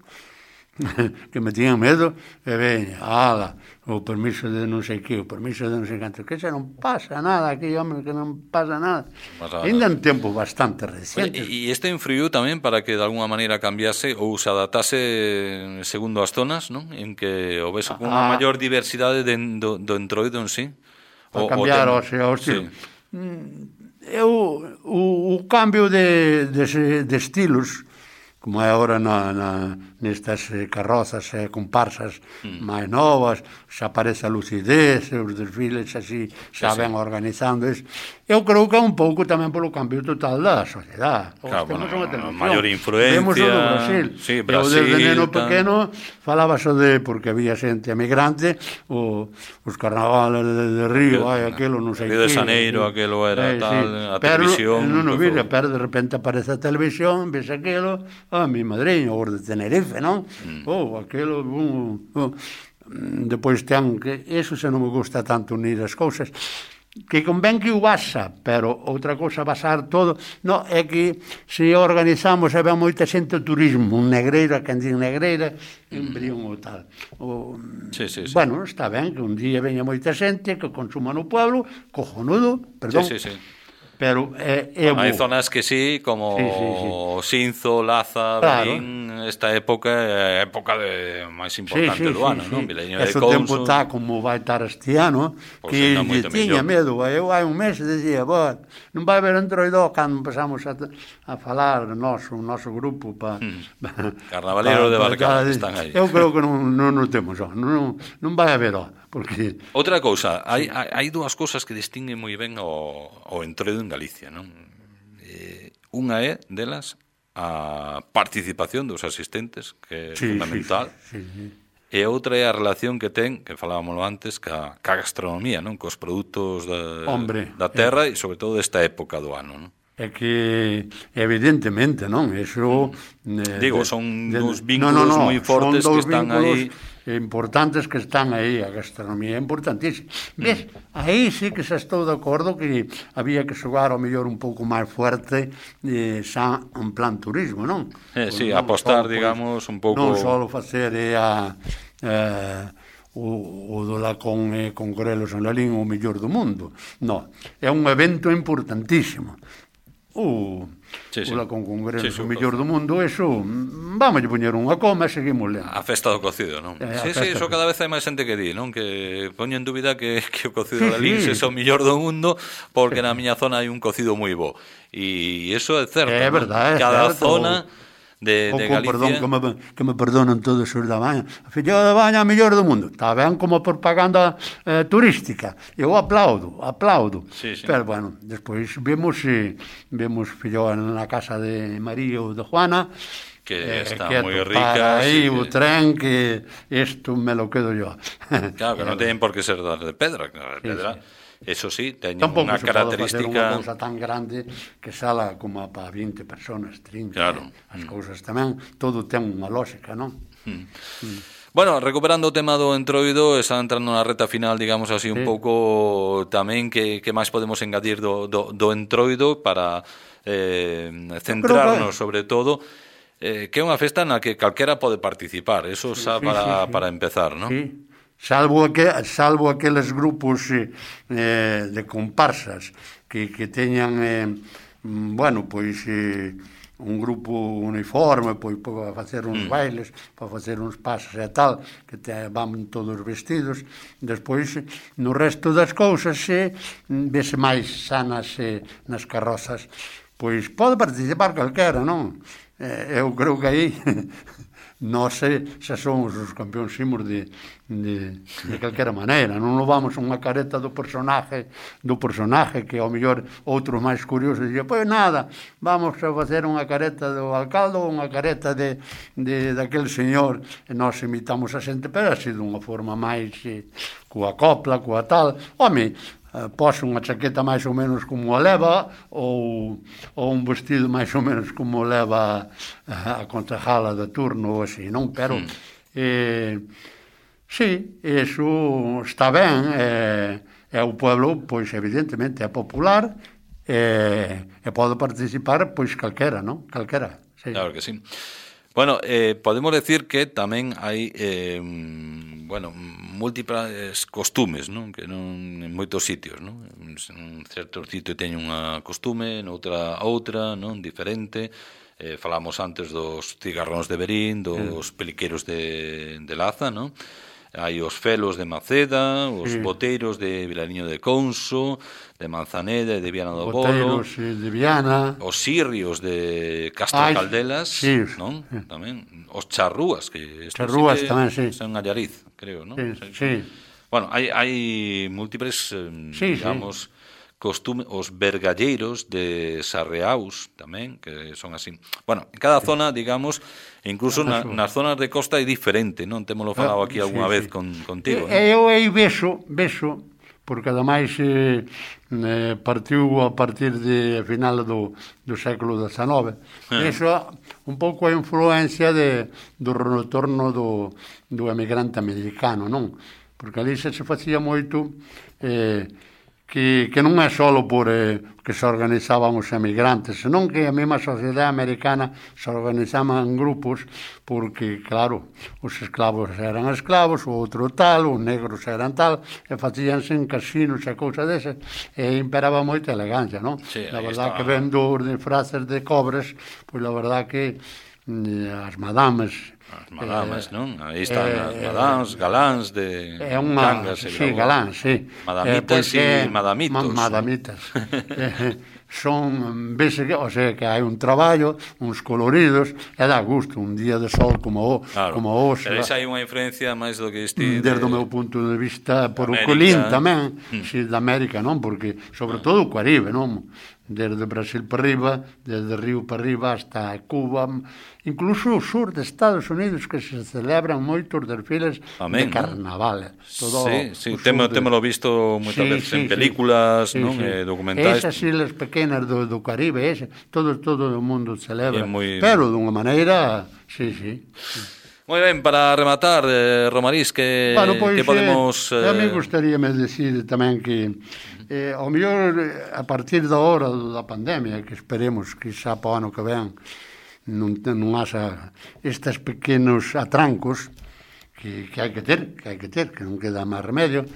Speaker 3: que me tiñan medo, e veña, ala, o permiso de non sei que, o permiso de non sei canto, que xa non pasa nada aquí, home, que non pasa nada. Pasa ainda en tempo bastante reciente.
Speaker 2: E isto influiu tamén para que de alguna maneira cambiase ou se adaptase segundo as zonas, non? En que o ves con unha maior diversidade de, do, do entroido en sí.
Speaker 3: Para cambiar o, ten... o, o estilo. Sí. Eu, o, o cambio de, de, de estilos, como é agora na, na, nestas carrozas e eh, comparsas mm. máis novas, xa aparece a lucidez, os desfiles así xa sí, ven sí. organizando eso. Eu creo que é un pouco tamén polo cambio total da sociedade.
Speaker 2: Claro, bueno, a maior influencia.
Speaker 3: Vemos o do Brasil.
Speaker 2: Sí, Brasil.
Speaker 3: Eu desde neno pequeno falaba só de, porque había xente emigrante, o, os carnavales de, de Río, ai, aquelo non sei que.
Speaker 2: Río de Janeiro, aquelo era eh, tal, sí. a
Speaker 3: pero,
Speaker 2: televisión.
Speaker 3: Non o vira, pero de repente aparece a televisión, ves aquelo, a mi madriño, o de Tenerife, non? Mm. Oh, aquelo, um, um, depois ten que eso se non me gusta tanto unir as cousas, que convén que o basa, pero outra cousa basar todo, no, é que se organizamos e ven moita xente turismo, un Negreira, quen din Negreira, en Brión ou tal. O,
Speaker 2: sí, sí, sí.
Speaker 3: Bueno, está ben que un día veña moita xente que consuma no pueblo, cojonudo, perdón.
Speaker 2: Sí, sí, sí.
Speaker 3: Pero é, é
Speaker 2: bueno, hai zonas que sí, como sí, sí, sí. Sinzo, Laza, claro. Berín, esta época é a época de máis importante sí, sí, do ano, sí, non?
Speaker 3: Sí. Ese tempo está como vai estar este ano, pues que lle tiña medo. Eu hai un mes dicía, non vai haber entroido cando empezamos a, a falar noso, o noso grupo pa,
Speaker 2: hmm. Carnavalero de Barcala, están aí.
Speaker 3: Eu creo que non, non o temos, non, non vai haber, ó. Porque...
Speaker 2: Outra cousa, hai, hai dúas cousas que distinguen moi ben o, o entroido en Galicia, non? Eh, unha é delas a participación dos asistentes, que é sí, fundamental, sí, sí, sí. E outra é a relación que ten, que falábamos antes, ca, ca gastronomía, non? Cos produtos da,
Speaker 3: Hombre,
Speaker 2: da terra eh... e sobre todo desta época do ano, non?
Speaker 3: É que, evidentemente, non? Eso...
Speaker 2: Eh, Digo, son de, dos vínculos no, no, no, moi fortes que están aí...
Speaker 3: importantes que están aí, a gastronomía é importantísima. Ves, aí sí que xa estou de acordo que había que xogar ao mellor un pouco máis fuerte eh, xa en plan turismo, non?
Speaker 2: Eh, sí, non apostar, só, digamos, un pouco...
Speaker 3: Non só facer eh, a... Eh, o, o do la con, eh, con Grelos en Lalín o mellor do mundo. Non, é un evento importantísimo. O, sí, sí. o la con Congreso sí, o mellor do mundo, eso, vamos a poñer unha coma e seguimos lendo.
Speaker 2: A festa do cocido, non? Eh, sí, sí, iso cada vez hai máis xente que di, non? Que poño en dúbida que, que o cocido sí, da Lins sí. é o mellor do mundo porque na miña zona hai un cocido moi bo. E iso é certo,
Speaker 3: é verdade,
Speaker 2: ¿no? Cada
Speaker 3: certo.
Speaker 2: zona... De, de Galicia.
Speaker 3: Perdón, que me, que me perdonan todos os da Baña. A filloa da Baña é a mellor do mundo. Está ben como propaganda eh, turística. Eu aplaudo, aplaudo.
Speaker 2: Sí, sí.
Speaker 3: Pero, bueno, despois vemos, eh, vemos filloa na casa de María ou de Juana,
Speaker 2: que está
Speaker 3: eh,
Speaker 2: moi rica.
Speaker 3: Aí
Speaker 2: sí,
Speaker 3: o
Speaker 2: que...
Speaker 3: tren que isto me lo quedo yo.
Speaker 2: Claro, que non teñen por que ser de pedra. De pedra. Sí, sí. Eso sí, teñen
Speaker 3: unha
Speaker 2: característica...
Speaker 3: Tampouco se pode facer unha cousa tan grande que sala como para vinte personas, trinta.
Speaker 2: Claro.
Speaker 3: As cousas tamén, todo ten unha lógica, non?
Speaker 2: Mm. Mm. Bueno, recuperando o tema do entroido, está entrando na reta final, digamos así, un sí. pouco tamén que, que máis podemos engadir do, do, do entroido para eh, centrarnos que... sobre todo eh, que é unha festa na que calquera pode participar, eso sí, xa sí, para, sí, sí. para empezar, non?
Speaker 3: Sí. Salvo, aqu salvo aqueles grupos eh, de comparsas que, que teñan, eh, bueno, pois eh, un grupo uniforme pois, para facer uns mm. bailes, para facer uns pasos e tal, que te, van todos vestidos. Despois, no resto das cousas, eh, vese máis sanas eh, nas carrozas, pois pode participar calquera, non? Eh, eu creo que aí... Nós xa somos os campeóns imos de, de, de calquera maneira, non nos vamos unha careta do personaje do personaje que ao mellor outros máis curiosos dicen, pois nada, vamos a facer unha careta do alcalde ou unha careta de, de daquele señor e nós imitamos a xente, pero así dunha forma máis eh, coa copla, coa tal, home, Uh, pos unha chaqueta máis ou menos como a leva ou, ou un vestido máis ou menos como leva uh, a concejala de turno ou así, non? Pero mm. eh, sí, eso está ben, eh, e o pueblo, pois evidentemente é popular eh, e pode participar pois calquera, non? Calquera, sí.
Speaker 2: Claro que sí. Bueno, eh, podemos decir que tamén hai eh, bueno, múltiples costumes, non? Que non en moitos sitios, non? En certo sitio teñen unha costume, noutra outra, non? Diferente. Eh, falamos antes dos cigarróns de Verín, dos sí. peliqueros de, de Laza, non? Hai os felos de Maceda, os sí. boteiros de Vilariño de Conso, de Manzaneda e de Viana do Bolo.
Speaker 3: Boteiros de Viana.
Speaker 2: Os sirrios de Castro Ay, Caldelas,
Speaker 3: sí.
Speaker 2: non? Sí. Tamén. Os charrúas, que
Speaker 3: charrúas
Speaker 2: sí que
Speaker 3: tamén, sí.
Speaker 2: Son Allariz, creo, non?
Speaker 3: Sí, sí.
Speaker 2: Bueno, hai, hai múltiples, eh,
Speaker 3: sí,
Speaker 2: digamos... Sí. Costume, os vergalleiros de Sarreaus tamén, que son así. Bueno, en cada zona, digamos, incluso na, nas zonas de costa é diferente, non? Témolo falado aquí algunha sí, vez sí. Con, contigo.
Speaker 3: E, eu aí beso, beso, porque ademais eh, eh, partiu a partir de final do, do século dezenove. Eh. Eso un pouco a influencia de, do retorno do, do emigrante americano, non? Porque ali se se facía moito... Eh, Que, que non é só por eh, que se organizaban os emigrantes, senón que a mesma sociedade americana se organizaban en grupos porque, claro, os esclavos eran esclavos, o outro tal, os negros eran tal, e facíanse en casinos e cousas desas, e imperaba moita elegancia, non?
Speaker 2: Sí,
Speaker 3: la verdad
Speaker 2: está.
Speaker 3: Que vendo de frases de cobres, pois la verdad que eh, as madames...
Speaker 2: As madames, eh, non? Aí están eh, as madames, galáns de
Speaker 3: é unha,
Speaker 2: cangas e
Speaker 3: sí, galáns, sí.
Speaker 2: Madamitas
Speaker 3: eh,
Speaker 2: e madamitos.
Speaker 3: Ma, madamitas. eh, son, vese que, o sea, que hai un traballo, uns coloridos, e dá gusto, un día de sol como o,
Speaker 2: claro.
Speaker 3: como hoxe.
Speaker 2: Pero esa hai unha influencia máis do que este...
Speaker 3: Desde
Speaker 2: de...
Speaker 3: o meu punto de vista, por América. O colín tamén, mm. si, da América, non? Porque, sobre todo, o Caribe, non? Desde Brasil para arriba, desde Río para arriba hasta Cuba, incluso o sur de Estados Unidos, que se celebran moitos desfiles
Speaker 2: Amén,
Speaker 3: de carnaval.
Speaker 2: Todo sí, sí, temo, de... temolo visto moitas sí, veces sí, en películas, sí, non? Sí. Eh, documentais.
Speaker 3: Esas islas pequenas do, do Caribe, ese, todo, todo o mundo celebra,
Speaker 2: muy...
Speaker 3: pero dunha maneira, sí, sí. sí.
Speaker 2: Moi ben, para rematar, eh, Romarís, que,
Speaker 3: bueno, pois,
Speaker 2: que podemos...
Speaker 3: Eh, a mí gustaríame decir tamén que eh, ao mellor a partir da hora da pandemia, que esperemos que xa para o ano que ven non, non haxa estes pequenos atrancos que, que hai que ter, que hai que ter, que non queda máis remedio,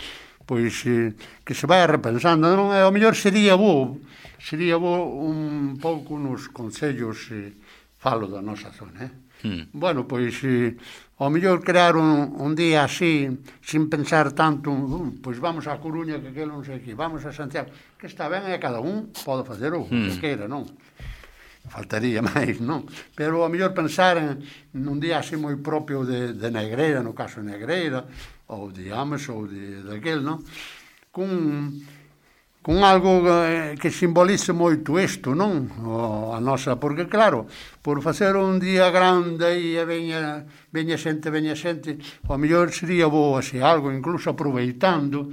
Speaker 3: pois eh, que se vai repensando, non? Ao mellor sería bo, sería bo un pouco nos concellos, eh, falo da nosa zona, eh? Mm. Bueno, pois eh, ao mellor crear un, un día así sin pensar tanto, um, pois vamos a Coruña, que aquilo non sei que, vamos a Santiago, que está ben e cada un pode facer o que mm. queira, non? Faltaría máis, non? Pero ao mellor pensar en un día así moi propio de, de Negreira, no caso de Negreira, ou de Ames, ou de, de aquel, non? Cun... con algo que simbolice moito isto, non? O, a nosa, porque claro, por facer un día grande e veña, veña xente, veña xente, o mellor sería bo así algo, incluso aproveitando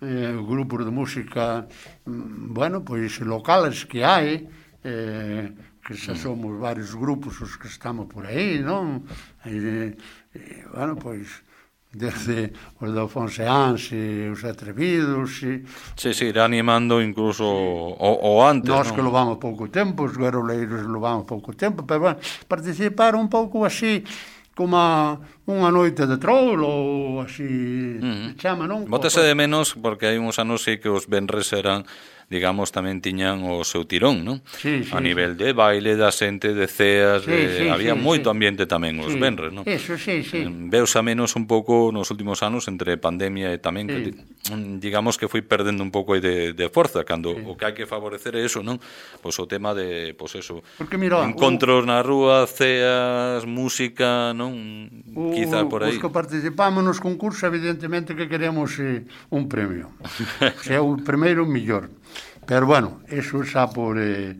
Speaker 3: eh, grupos de música, bueno, pois locales que hai, eh, que xa somos varios grupos os que estamos por aí, non? E, e bueno, pois... desde os de Fonseáns e os Atrevidos e...
Speaker 2: Sí, sí, irá animando incluso sí. o, o antes,
Speaker 3: nós
Speaker 2: non?
Speaker 3: Que levamos pouco tempo, os garoleiros levamos pouco tempo, pero bueno, participar un pouco así como unha noite de trolo ou así uh-huh. chama, non?
Speaker 2: Bótase de menos porque hai uns anos sí que os venres eran, digamos, tamén tiñan o seu tirón, non?
Speaker 3: Sí, sí,
Speaker 2: a nivel
Speaker 3: sí.
Speaker 2: de baile, da xente, de ceas,
Speaker 3: sí,
Speaker 2: de...
Speaker 3: sí,
Speaker 2: había
Speaker 3: sí,
Speaker 2: moito
Speaker 3: sí.
Speaker 2: ambiente tamén os
Speaker 3: sí.
Speaker 2: venres, non?
Speaker 3: Eso, sí, sí.
Speaker 2: Veus a menos un pouco nos últimos anos entre pandemia e tamén sí. que, digamos que foi perdendo un pouco de, de forza, cando sí. o que hai que favorecer é eso, non? Pois o tema de, pois eso,
Speaker 3: porque, mira,
Speaker 2: encontros
Speaker 3: o...
Speaker 2: na rúa, ceas, música, non?
Speaker 3: O,
Speaker 2: quizá por aí.
Speaker 3: Os que participamos nos concursos, evidentemente que queremos eh, un premio. O sea, o primeiro millor. Pero, bueno, eso xa por eh,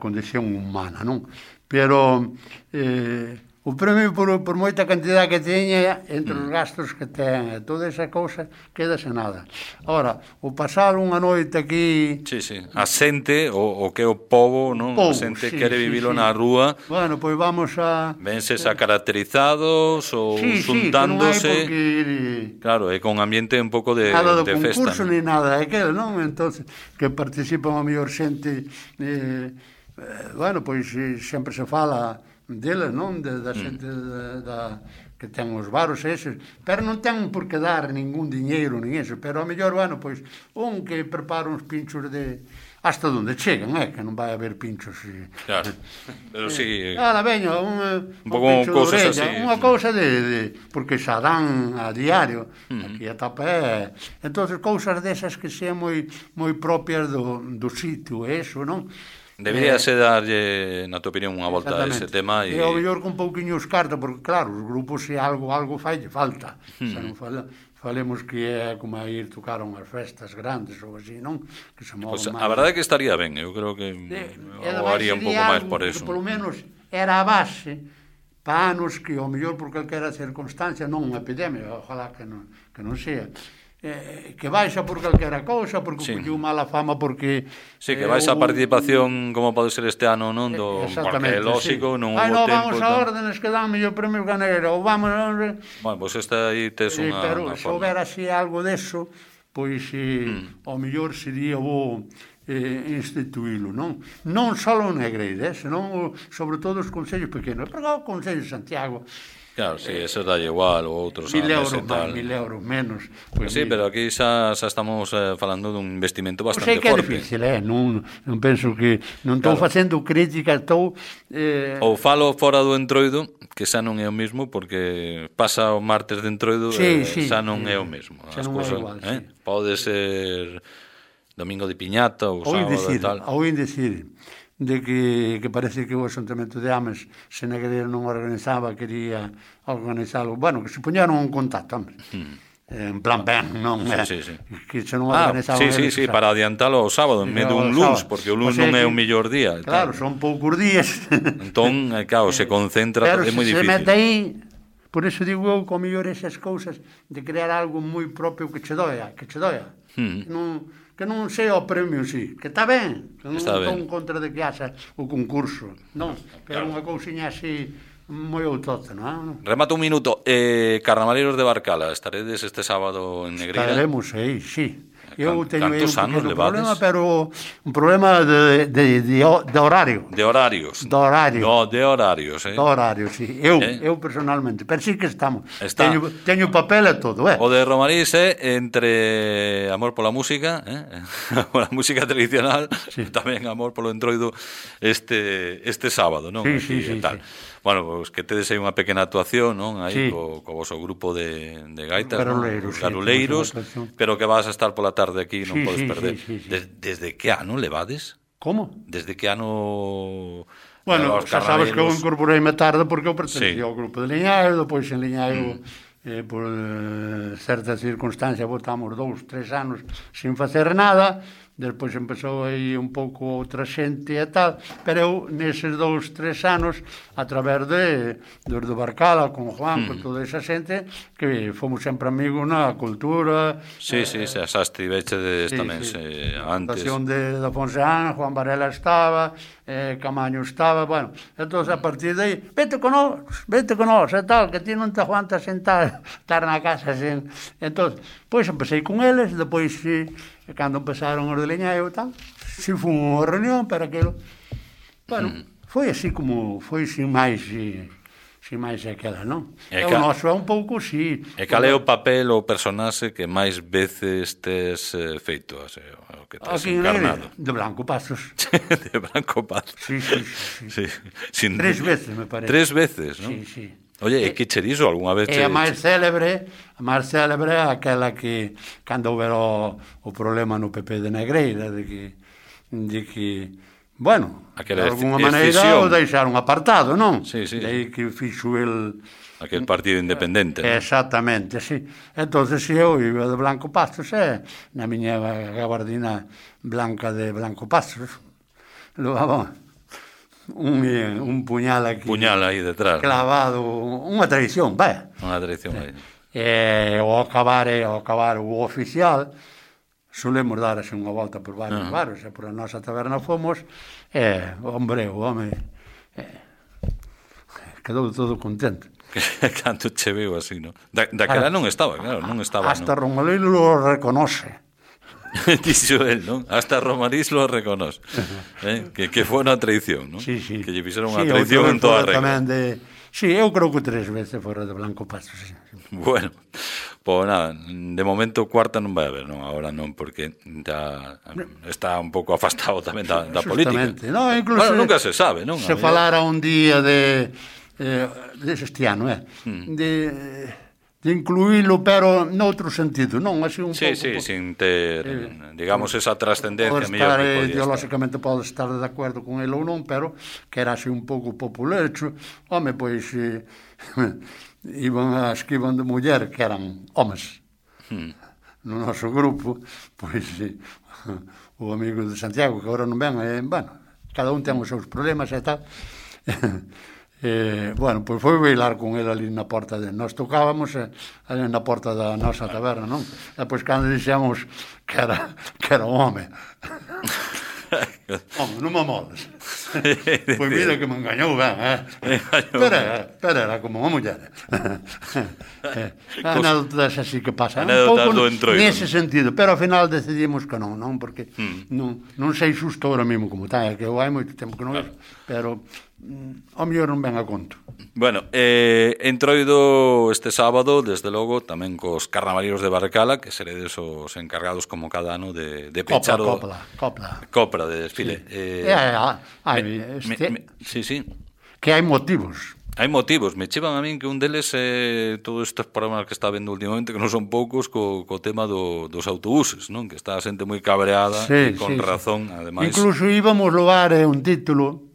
Speaker 3: condición humana, non? Pero eh, o premio por, por moita cantidad que teña entre os gastos que ten, toda esa cousa, quedase nada. Ora, o pasar unha noite aquí...
Speaker 2: Sí, sí, a xente, o, o que é o pobo, non?
Speaker 3: Pobo,
Speaker 2: a xente
Speaker 3: sí,
Speaker 2: quere
Speaker 3: sí,
Speaker 2: vivilo
Speaker 3: sí.
Speaker 2: na rúa.
Speaker 3: Bueno, pois vamos a...
Speaker 2: Venses a caracterizados ou
Speaker 3: sí,
Speaker 2: xuntándose.
Speaker 3: Sí, porque...
Speaker 2: Claro, é con ambiente un pouco de,
Speaker 3: nada do
Speaker 2: de festa.
Speaker 3: Nada do concurso, ni nada daquele, non? Entonces, que participan a mellor xente... Eh, eh, bueno, pois eh, sempre se fala deles, non? De, da xente mm. da, que ten os baros eses, pero non ten por que dar ningún diñeiro nin eso, pero a mellor, bueno, pois un que prepara uns pinchos de hasta onde chegan, eh, que non vai haber pinchos. E,
Speaker 2: claro, pero si... Sí,
Speaker 3: Ala, veño, un, un
Speaker 2: pouco cousas así.
Speaker 3: Unha cousa de, de... porque xa dan a diario, uh-huh. aquí a tapa é... Entón, cousas desas que sean moi moi propias do, do sitio, eso, non?
Speaker 2: Debería eh, ser darlle, na tua opinión, unha volta a ese tema.
Speaker 3: E ao mellor con pouquiño os carta, porque claro, os grupos se algo algo falle falta. Uh-huh. Xa non fala... Falemos que é como a ir tocar unhas festas grandes ou así, non? Que se movan
Speaker 2: pues,
Speaker 3: máis.
Speaker 2: A verdade é que estaría ben, eu creo que o haría un pouco máis por eso.
Speaker 3: Que polo menos era a base para anos que ao mellor por calquera circunstancia, non unha epidemia, ojalá que non, que non sea, eh, que baixa por calquera cousa, porque sí. colleu mala fama, porque...
Speaker 2: Sí, que baixa a participación, como pode ser este ano, non? Do, porque é lógico,
Speaker 3: sí.
Speaker 2: non
Speaker 3: Ai,
Speaker 2: hubo
Speaker 3: no,
Speaker 2: tempo...
Speaker 3: vamos a órdenes que dan mellor premio ganeiro, ou vamos...
Speaker 2: Bueno, pois pues esta aí tes unha,
Speaker 3: pero
Speaker 2: unha
Speaker 3: se
Speaker 2: forma.
Speaker 3: houbera así algo deso, pois eh, mm. ao mellor sería bo eh, instituílo, non? Non só en Negreira, eh, senón sobre todo os concellos pequenos, porque o Concello de Santiago...
Speaker 2: Claro, sí, eso dá igual, ou outros
Speaker 3: mil euros máis, mil euros menos.
Speaker 2: Pues sí, mil... pero aquí xa, xa estamos eh, falando dun investimento bastante
Speaker 3: forte. Sei que é
Speaker 2: forte.
Speaker 3: difícil, eh? non, non penso que... Non estou claro. facendo crítica, estou...
Speaker 2: Eh... Ou falo fora do Entroido, que xa non é o mismo, porque pasa o martes de Entroido
Speaker 3: sí,
Speaker 2: e
Speaker 3: sí,
Speaker 2: xa non
Speaker 3: sí.
Speaker 2: é o mesmo.
Speaker 3: Xa non é igual,
Speaker 2: eh?
Speaker 3: sí.
Speaker 2: Pode ser domingo de piñata ou sábado e tal.
Speaker 3: Oín decir de que, que parece que o Asuntamento de Ames, se Negreira non organizaba, quería organizalo. Bueno, que se poñeron un contacto, hombre. Hmm. En plan ben, non é?
Speaker 2: Sí, sí, sí.
Speaker 3: Que se non
Speaker 2: ah,
Speaker 3: organizaba...
Speaker 2: Sí, sí, sí, para adiantalo ao sábado, en medio dun luns, porque o luns non é o mellor día.
Speaker 3: Claro, son poucos días.
Speaker 2: Entón, claro, se concentra, é moi difícil.
Speaker 3: Pero se mete aí, por eso digo eu, que o mellor esas cousas de crear algo moi propio que che doia, que che doia. Hmm. Non... que non sea o premio, sí, que está ben, que non estou en contra de que haxa o concurso, non, pero claro. Unha cousiña así moi autóctona, non?
Speaker 2: Remata un minuto, eh, Carnavaleiros de Barcala, estaredes este sábado en Negreira?
Speaker 3: Estaremos aí, sí. Eu teño aí un
Speaker 2: pequeno
Speaker 3: problema, pero un problema de, de, de, de horario.
Speaker 2: De horarios.
Speaker 3: De horario.
Speaker 2: No, de horarios, eh.
Speaker 3: De horario, sí. Eu, eh? eu personalmente, pero sí que estamos.
Speaker 2: Está.
Speaker 3: Teño, teño papel e todo, eh.
Speaker 2: O de Romarís é eh, entre amor pola música, eh, pola música tradicional, sí. Tamén amor polo Entroido este este sábado, non?
Speaker 3: Sí, sí, sí,
Speaker 2: tal.
Speaker 3: sí.
Speaker 2: Bueno, pues que tedes aí unha pequena actuación, non? Aí
Speaker 3: sí.
Speaker 2: co, co voso grupo de, de gaitas,
Speaker 3: Garuleiros,
Speaker 2: ¿no? Garuleiros,
Speaker 3: sí,
Speaker 2: pero que vas a estar pola tarde aquí, non
Speaker 3: sí,
Speaker 2: podes
Speaker 3: sí,
Speaker 2: perder.
Speaker 3: Sí, sí, sí.
Speaker 2: Des, desde que ano levades?
Speaker 3: Como?
Speaker 2: Desde que ano...
Speaker 3: Bueno, xa sabes que eu incorporei me tarde porque eu pertencía
Speaker 2: sí.
Speaker 3: ao grupo de Liñaio, depois en Liñaio, mm. eh, por eh, certas circunstancias, botamos dous, tres anos sin facer nada, despois empezou aí un pouco outra xente e tal, pero eu neses dous, tres anos, a través de dos de Barcala, con Juan, mm. con toda esa xente, que fomos sempre amigos na cultura.
Speaker 2: Sí, eh, sí, xa xa estivechedes sí, tamén
Speaker 3: sí.
Speaker 2: Se, antes.
Speaker 3: A fundación de, de Fonseán, Juan Varela estaba, eh, Camaño estaba, bueno, entón a partir de aí, vete con nós, vete con nós, e tal, que ti non te aguantas sentar, estar na casa sen... Entón, pois empecé con eles, depois, sí, cando empezaron os de Liñaio e tal, si foi unha reunión para aquilo. Bueno, mm. foi así como, foi sin máis, sin, sin máis aquela, non? E, e o noso é un pouco, sí.
Speaker 2: E cal é o papel ou personaxe que máis veces tes eh, feito, o, sea, o que tes
Speaker 3: aquí
Speaker 2: encarnado?
Speaker 3: De Blanco Pazos.
Speaker 2: De Blanco Pazos.
Speaker 3: Sí, sí, sí. sí.
Speaker 2: sí. Sin...
Speaker 3: Tres veces, me parece.
Speaker 2: Tres veces, non?
Speaker 3: Sí, sí.
Speaker 2: Oye, e que che diso algunha vez?
Speaker 3: E a máis célebre, a máis célebre é aquela que, cando houver o, o problema no P P de Negreira, de que, de que bueno,
Speaker 2: aquela
Speaker 3: de alguma maneira o deixaron apartado, non?
Speaker 2: Sí, sí.
Speaker 3: De aí que fixo el...
Speaker 2: Aquel partido independente, non?
Speaker 3: Exactamente, sí. Entonces, se eu iba de Blanco Pazos, é, na miña gabardina blanca de Blanco Pazos, levaba... Un, un puñal aquí
Speaker 2: puñal aí detrás
Speaker 3: clavado, unha tradición, vai
Speaker 2: unha tradición aí
Speaker 3: e ao acabar, ao acabar o oficial solemos dar así unha volta por varios uh -huh. bares e por a nosa taberna fomos e, hombre, o home e, quedou todo contento.
Speaker 2: Canto che veo así, non? Da, daquela non estaba, claro, non estaba,
Speaker 3: hasta
Speaker 2: non?
Speaker 3: Romualdo lo reconoce.
Speaker 2: Dixo el, non? Hasta Romariz lo reconoce. eh? que, que foi unha traición, non?
Speaker 3: Sí, sí.
Speaker 2: Que lle fixeron unha
Speaker 3: sí,
Speaker 2: traición en toda a regla.
Speaker 3: De... Sí, eu creo que tres veces fora de Blanco Paso, sí.
Speaker 2: Bueno, pois nada, de momento cuarta non vai haber, non? Agora non, porque ya está un pouco afastado tamén da, da política.
Speaker 3: No, incluso
Speaker 2: bueno, nunca se sabe, non?
Speaker 3: Se falara un día de... Eh, deste ano, eh? Mm. De... de incluílo, pero noutro sentido, non? Así un
Speaker 2: sí,
Speaker 3: pouco...
Speaker 2: Sí,
Speaker 3: por,
Speaker 2: sin ter, eh, digamos, esa trascendencia
Speaker 3: estar,
Speaker 2: mellor que podía
Speaker 3: ideolóxicamente pode estar de acordo con ele ou non, pero que era así un pouco populecho. Home, pois, eh, iban as que iban de muller, que eran homes, hmm. no noso grupo, pois, eh, o amigo de Santiago, que agora non ven, eh, bueno, cada un ten os seus problemas e tal, Eh, bueno, pois foi bailar con ele ali na porta de... Nós tocábamos eh, ali na porta da nosa taberna, non? E pois cando dixemos que era, que era un home. Home, non me moles. Pois mira que me engañou ben, eh? Pero, pero era como unha muller. Anécdotas así que pasan. Un pouco nese sentido, pero ao final decidimos que non, non? Porque hmm. non, non sei xusto ahora mesmo como está, é que eu hai moito tempo que non vejo, pero... ao mellor non ven a conto.
Speaker 2: Bueno, eh, entroido este sábado, desde logo, tamén cos carnavaleros de Barcala, que seredes os encargados como cada ano de, de pechar o...
Speaker 3: Copla, copla.
Speaker 2: Copla de desfile.
Speaker 3: Sí. Eh, eh, hai,
Speaker 2: me,
Speaker 3: este,
Speaker 2: me, me, sí, sí.
Speaker 3: Que hai motivos.
Speaker 2: Hai motivos. Me chevan a min que un deles é eh, todos estes programas que está vendo últimamente, que non son poucos, co, co tema do, dos autobuses, non? Que está a xente moi cabreada,
Speaker 3: sí,
Speaker 2: e con
Speaker 3: sí,
Speaker 2: razón,
Speaker 3: sí.
Speaker 2: ademais.
Speaker 3: Incluso íbamos logar eh, un título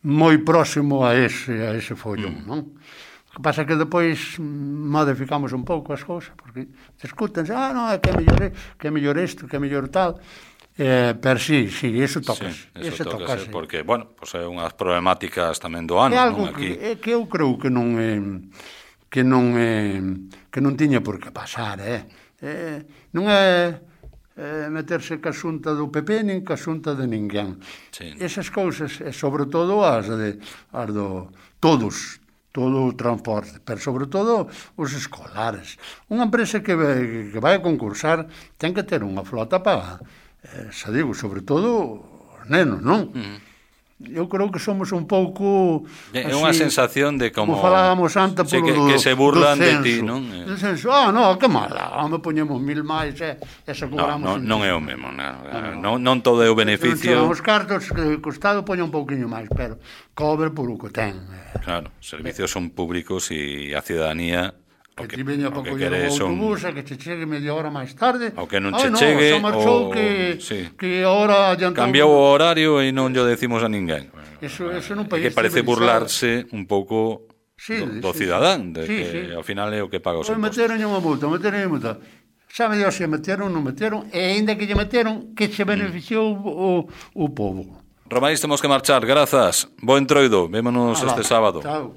Speaker 3: moi próximo a ese, a ese follón, mm. non? O que pasa é que depois modificamos un pouco as cousas, porque discútense, ah, non, é que é mellor, que é mellor isto, que é mellor tal, eh, pero sí, sí, eso toca.
Speaker 2: Sí, eso toca, sí. Porque, bueno, pues é unhas problemáticas tamén do ano,
Speaker 3: é algo
Speaker 2: non? Aquí...
Speaker 3: que, é que eu creo que non é, que non é, que non tiña por que pasar, eh? eh non é... Eh, meterse ca xunta do P P nin ca xunta de ninguén. Sí. Esas cousas, e sobre todo as de as do todos, todo o transporte, pero sobre todo os escolares. Unha empresa que vai, que vai a concursar ten que ter unha flota para, eh, xa digo, sobre todo os nenos, non? Mm. Eu creo que somos un pouco...
Speaker 2: É unha sensación de como...
Speaker 3: Como falábamos antes
Speaker 2: sí,
Speaker 3: polo
Speaker 2: que, que
Speaker 3: do,
Speaker 2: se burlan
Speaker 3: do
Speaker 2: de
Speaker 3: censo.
Speaker 2: ti, non?
Speaker 3: Do censo, ah, non, que mala, me poñemos mil máis e, e se cobramos...
Speaker 2: No, no, non é o mesmo, non, non, non todo é o beneficio...
Speaker 3: Non os cartos que o Estado poña un pouquinho máis, pero cobre por o que ten.
Speaker 2: Claro, os servicios son públicos e a ciudadanía...
Speaker 3: Que ti veña para coller o autobús e que che chegue media hora máis tarde.
Speaker 2: Ou que non che chegue,
Speaker 3: ou que, sí. que ahora adiantou...
Speaker 2: Cambiou o horario e non yo decimos a ninguén.
Speaker 3: Eso, eso non país
Speaker 2: que parece burlarse un pouco sí, do, do sí, cidadán, de sí, que sí. Ao final é o que paga os impostos.
Speaker 3: Meteron unha multa, meteron unha multa. Sabe Dios se meteron, non meteron, e ainda que lle meteron, que se beneficiou mm. o, o povo.
Speaker 2: Romariz, temos que marchar, grazas. Bo entroido, vémonos ah, este sábado.
Speaker 3: Chao.